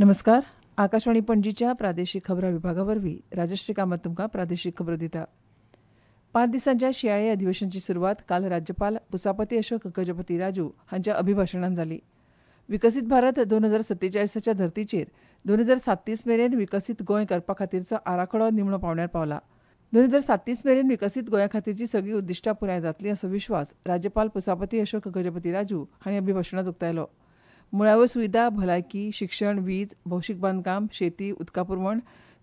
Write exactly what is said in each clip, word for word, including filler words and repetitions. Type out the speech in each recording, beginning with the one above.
नमस्कार. आकाशवाणी पणजीच्या प्रादेशीक खबरां विभागा वरवीं राजश्री कामत तुमकां प्रादेशीक खबरो दिता. पांच दिसांच्या शिंयाळी अधिवेशनाची सुरवात काल राज्यपाल पुसापती अशोक गजपती राजू हांच्या अभिभाशणान जाली. विकसीत भारत दोन हजार सत्तेचाळीसाच्या धर्तीचेर दोन हजार सात्तीस मेरेन विकसीत गोंय करपा खातीरचो आराखडो निमणो पावंड्यार पावला. दोन हजार सात्तीस मेरेन विकसीत गोंया खातीरची सगळीं उद्दिश्टां पुराय जातलीं असो विश्वास राज्यपाल पुसापती अशोक गजपती राजू हांणी अभिभाशणांत उक्तायलो. मुळाव्यो सुविधा, भलायकी, शिक्षण, वीज, भौशीक बांदकाम, शेती, उदका पुरवण,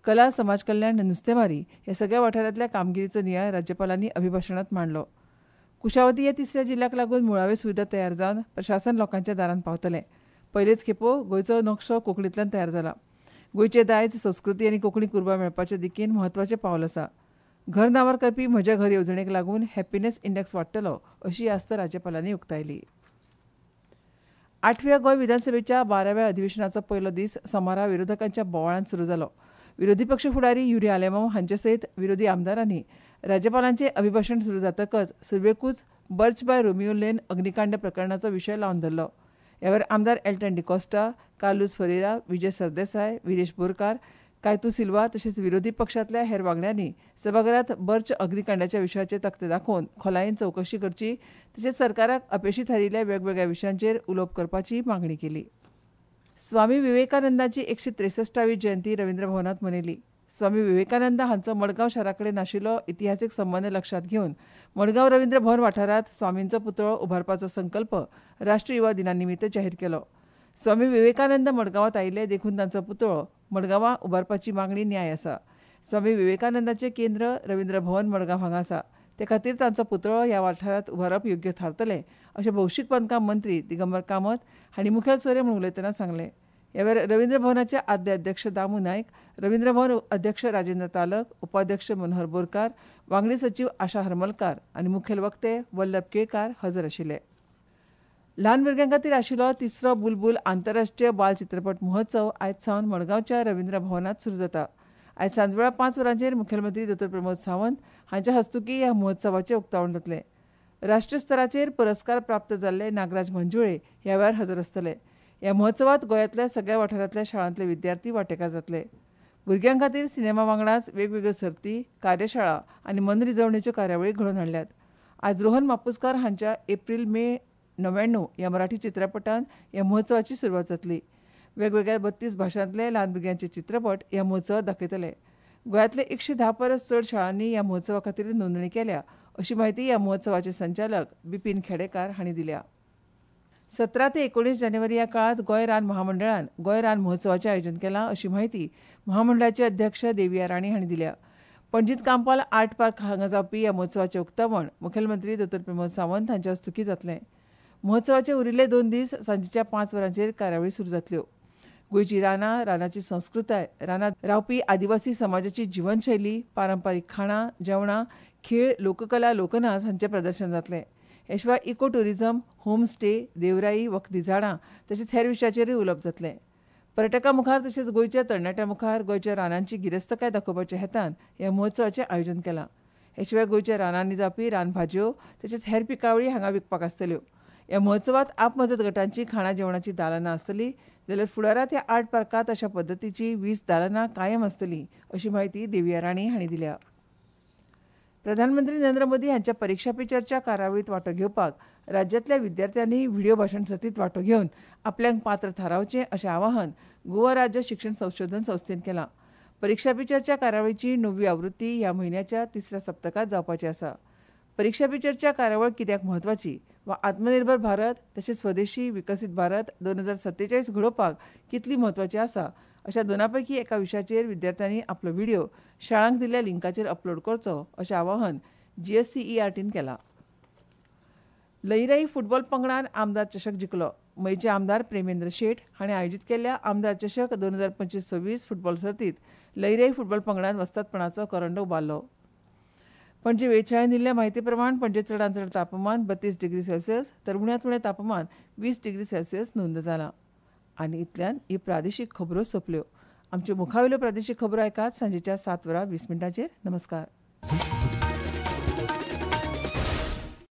कला, समाज कल्याण, नुस्तेमारी ह्या सगळ्या वाठारांतल्या कामगिरीचो नियाळ राज्यपालांनी अभिभाशणांत मांडलो. कुशावती ह्या तिसऱ्या जिल्ल्याक लागून मुळाव्यो सुविधा तयार जावन प्रशासन लोकांच्या दारांत पावतलें. पयलेच खेपो गोंयचो नकशो कोंकणींतल्यान तयार जाला. गोंयचें दायज, संस्कृती आनी कोंकणी कुरबा मेळपाच्या दिकेन म्हत्वाचें पावल आसा. घर नांवार करपी म्हजें घर येवजणेक लागून हॅपीनेस इंडेक्स वाडटलो अशी आस्त राज्यपालांनी उक्तायली. आठव्या गोंय विधानसभेच्या बाराव्या अधिवेशनाचो पयलो दीस सोमारा विरोधकांच्या बोवाळान सुरू जालो. विरोधी पक्ष फुडारी युरी आलेमांव हांचे सयत विरोधी आमदारांनी राज्यपालांचें अभिभाशण सुरू जातकच सुरवेकूच बर्च बाय रोमियो लेन अग्निकांड प्रकरणाचो विशय लावन धरलो. ह्या वेळार आमदार एल्टन डिकॉस्टा, कार्लूस फरेरा, विजय सरदेसाय, विरेश बोरकार, कायतू सिल्वा तशेंच विरोधी पक्षांतल्या हेर वांगड्यांनी सभाघरांत बर्च अग्निकांडाच्या विशयाचे तकटे दाखोवन खोलायेन चवकशी करची तशेंच सरकाराक अपेशी थारिल्ल्या वेगवेगळ्या विशयांचेर उलोवप करपाची मागणी केली. स्वामी विवेकानंदाची एकशे त्रेसश्टावी जयंती रवींद्र भवनांत मनयली. स्वामी विवेकानंद हांचो मडगांव शारा कडेन आशिल्लो इतिहासीक संबंद लक्षांत घेवन मडगांव रवींद्र भवन वाठारांत स्वामींचो पुतळो उबारपाचो संकल्प राष्ट्रीय युवा दिना निमित्त जाहीर केलो. स्वामी विवेकानंद मडगांवांत आयिल्ले देखून तांचो पुतळो मडगांवां उबारपाची मागणी न्याय आसा. स्वामी विवेकानंदाचें केंद्र रवींद्र भवन मडगांव हांगा आसा, ते खातीर तांचो पुतळो ह्या वाठारांत उबारप योग्य थारतलें अशें भौशीक बांदकाम मंत्री दिगंबर कामत हांणी मुखेल सोयरे म्हूण उलयतना सांगलें. ह्या वेळार रवींद्र भवनाचे आदले अध्यक्ष दामू नायक, रवींद्र भवन अध्यक्ष राजेंद्र तालक, उपाध्यक्ष मनोहर बोरकार, वांगडी सचीव आशा हरमलकार आनी मुखेल वक्ते वल्लभ केळकार हजर आशिल्ले. ल्हान भुरग्यां खातीर आशिल्लो तिसरो बुलबुल आंतरराष्ट्रीय बाल चित्रपट महोत्सव आयज सावन मडगांवच्या रवींद्र भवनांत सुरू जाता. आयज सांजवेळा पांच वरांचेर मुखेलमंत्री दोतोर प्रमोद सावंत हांच्या हस्तुकीं ह्या महोत्सवाचें उक्तावण जातलें. राष्ट्रीय स्तराचेर पुरस्कार प्राप्त जाल्ले नागराज मंजुळे ह्या वेळार हजर आसतले. ह्या महोत्सवांत गोंयांतल्या सगळ्या वाठारांतल्या शाळांतले विद्यार्थी वांटेकार जातले. भुरग्यां खातीर सिनेमा वांगडाच वेगवेगळ्यो सर्ती, कार्यशाळा आनी मनरिजवणेच्यो कार्यावळी घडोवन हाडल्यात. आज रोहन मापुसकार हांच्या एप्रील मे णव्याण्णव ह्या मराठी चित्रपटान ह्या महोत्सवाची सुरवात जातली. वेगवेगळ्या बत्तीस भाशांतले ल्हान भुरग्यांचे चित्रपट ह्या महोत्सवात दाखयतले. गोंयांतले एकशे धा परस चड शाळांनी ह्या महोत्सवा खातीर नोंदणी केल्या अशी म्हायती ह्या महोत्सवाचे संचालक बिपीन खेडेकार हांणी दिल्या. सतरा ते एकोणीस जानेवारी ह्या काळांत गोंय रान महामंडळान गोंय रान महोत्सवाचें आयोजन केलां अशी म्हायती महामंडळाचे अध्यक्ष देविया राणे हांणी दिल्या. पणजींत कांपाल आर्ट पार्क हांगा जावपी ह्या महोत्सवाचें उक्तावण मुखेलमंत्री दोतोर प्रमोद सावंत हांच्या हस्तुकीं जातलें. महोत्सवाचे उरिल्ले दोन दीस सांजेच्या पांच वरांचेर कार्यावळी सुरू जातल्यो. गोंयची रानां, रानाची संस्कृताय, रानांत रावपी आदिवासी समाजाची जिवनशैली, पारंपारीक खाणां, जेवणां, खेळ, लोककला, लोकनाच हांचें प्रदर्शन जातलें. हे शिवाय इको ट्युरिझम, होम स्टे, देवराई, वखदी झाडां तशेंच हेर विशयाचेरूय उलोवप जातलें. पर्यटकां मुखार तशेंच गोंयच्या तरणाट्यां मुखार गोंयच्या रानांची गिरेस्तकाय दाखोवपाच्या हेतान ह्या महोत्सवाचें आयोजन केलां. हे शिवाय गोंयच्या रानांनी जावपी रानभाजयो तशेंच हेर पिकावळी हांगा विकपाक आसतल्यो. ह्या महोत्सवांत आपमजत गटांची खाणां जेवणाची दालनां आसतली, जाल्यार फुडारांत ह्या आर्ट पार्कांत अशा पद्दतीची वीस दालनां कायम आसतली अशी म्हायती देविया राणे हांणी दिल्या. प्रधानमंत्री नरेंद्र मोदी हांच्या परिक्षा पे चर्चा कार्यावळींत वांटो घेवपाक राज्यांतल्या विद्यार्थ्यांनी व्हिडिओ भाशण सर्तींत वांटो घेवन आपल्याक पात्र थारावचें अशें आवाहन गोवा राज्य शिक्षण संशोधन संस्थेन केलां. परिक्षा पे चर्चा कार्यावळीची णववी आवृत्ती ह्या म्हयन्याच्या तिसऱ्या सप्तकांत जावपाची आसा. परिक्षा पे चर्चा कार्यावळ कित्याक म्हत्वाची वा आत्मनिर्भर भारत तशेंच स्वदेशी विकसीत भारत दोन हजार सत्तेचाळीस घडोवपाक कितली म्हत्वाची आसा अशा दोना पैकी एका विशयाचेर विद्यार्थ्यांनी आपलो व्हिडिओ शाळांक दिल्ल्या लिंकाचेर अपलोड करचो अशें आवाहन जीएससीईआरटीन केलां. लईराई फुटबॉल पंगडान आमदार चषक जिखलो. मयचे आमदार प्रेमेंद्र शेट हांणी आयोजीत केल्ल्या आमदार चषक दोन हजार पंचवीस सव्वीस फुटबॉल सर्तींत लईराई फुटबॉल पंगडान वस्तादपणाचो करंड उबारलो. पणजे वेधशाळेन दिल्ल्या म्हायती प्रमाण पणजे चडांत चड तापमान बत्तीस डिग्री सेल्सियस तर उण्यांत उणें तापमान वीस डिग्री सेल्सियस नोंद जालां. आनी इतल्यान ही प्रादेशीक खबरो सोंपल्यो. आमच्यो मुखावेल्यो प्रादेशीक खबरो आयकात सांजेच्या सात वरां वीस मिनटांचेर. नमस्कार.